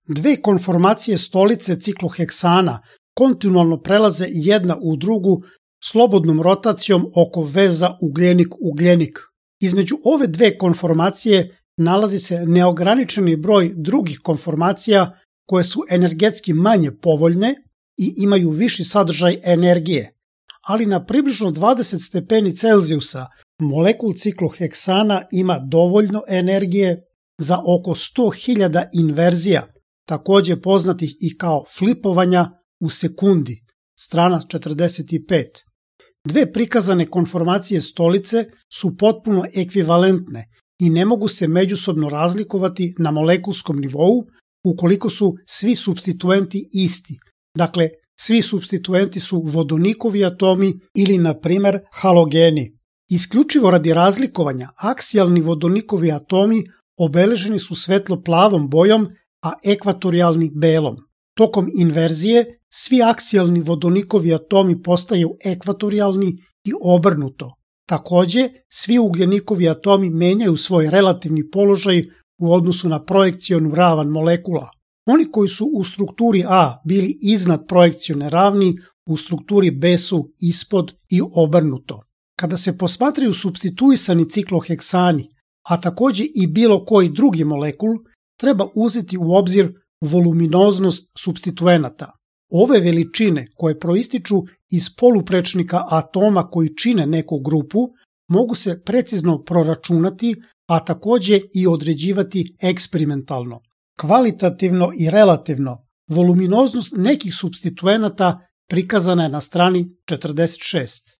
Dve konformacije stolice cikloheksana kontinualno prelaze jedna u drugu slobodnom rotacijom oko veza ugljenik-ugljenik. Između ove dve konformacije nalazi se neograničeni broj drugih konformacija koje su energetski manje povoljne i imaju viši sadržaj energije, ali na približno 20 stepeni Celzijusa molekul cikloheksana ima dovoljno energije za oko 100.000 inverzija, takođe poznatih i kao flipovanja u sekundi, strana 45. Dve prikazane konformacije stolice su potpuno ekvivalentne i ne mogu se međusobno razlikovati na molekulskom nivou ukoliko su svi supstituenti isti. Dakle, svi supstituenti su vodonikovi atomi ili, na primer, halogeni. Isključivo radi razlikovanja, aksijalni vodonikovi atomi obeleženi su svetlo plavom bojom, a ekvatorijalni belom. Tokom inverzije, svi aksijalni vodonikovi atomi postaju ekvatorijalni i obrnuto. Takođe, svi ugljenikovi atomi menjaju svoj relativni položaj u odnosu na projekcionu ravan molekula. Oni koji su u strukturi A bili iznad projekcione ravni, u strukturi B su ispod i obrnuto. Kada se posmatraju supstituisani cikloheksani, a takođe i bilo koji drugi molekul, treba uzeti u obzir voluminoznost supstituenata. Ove veličine koje proističu iz poluprečnika atoma koji čine neku grupu mogu se precizno proračunati, a takođe i određivati eksperimentalno. Kvalitativno i relativno, voluminoznost nekih supstituenata prikazana je na strani 46.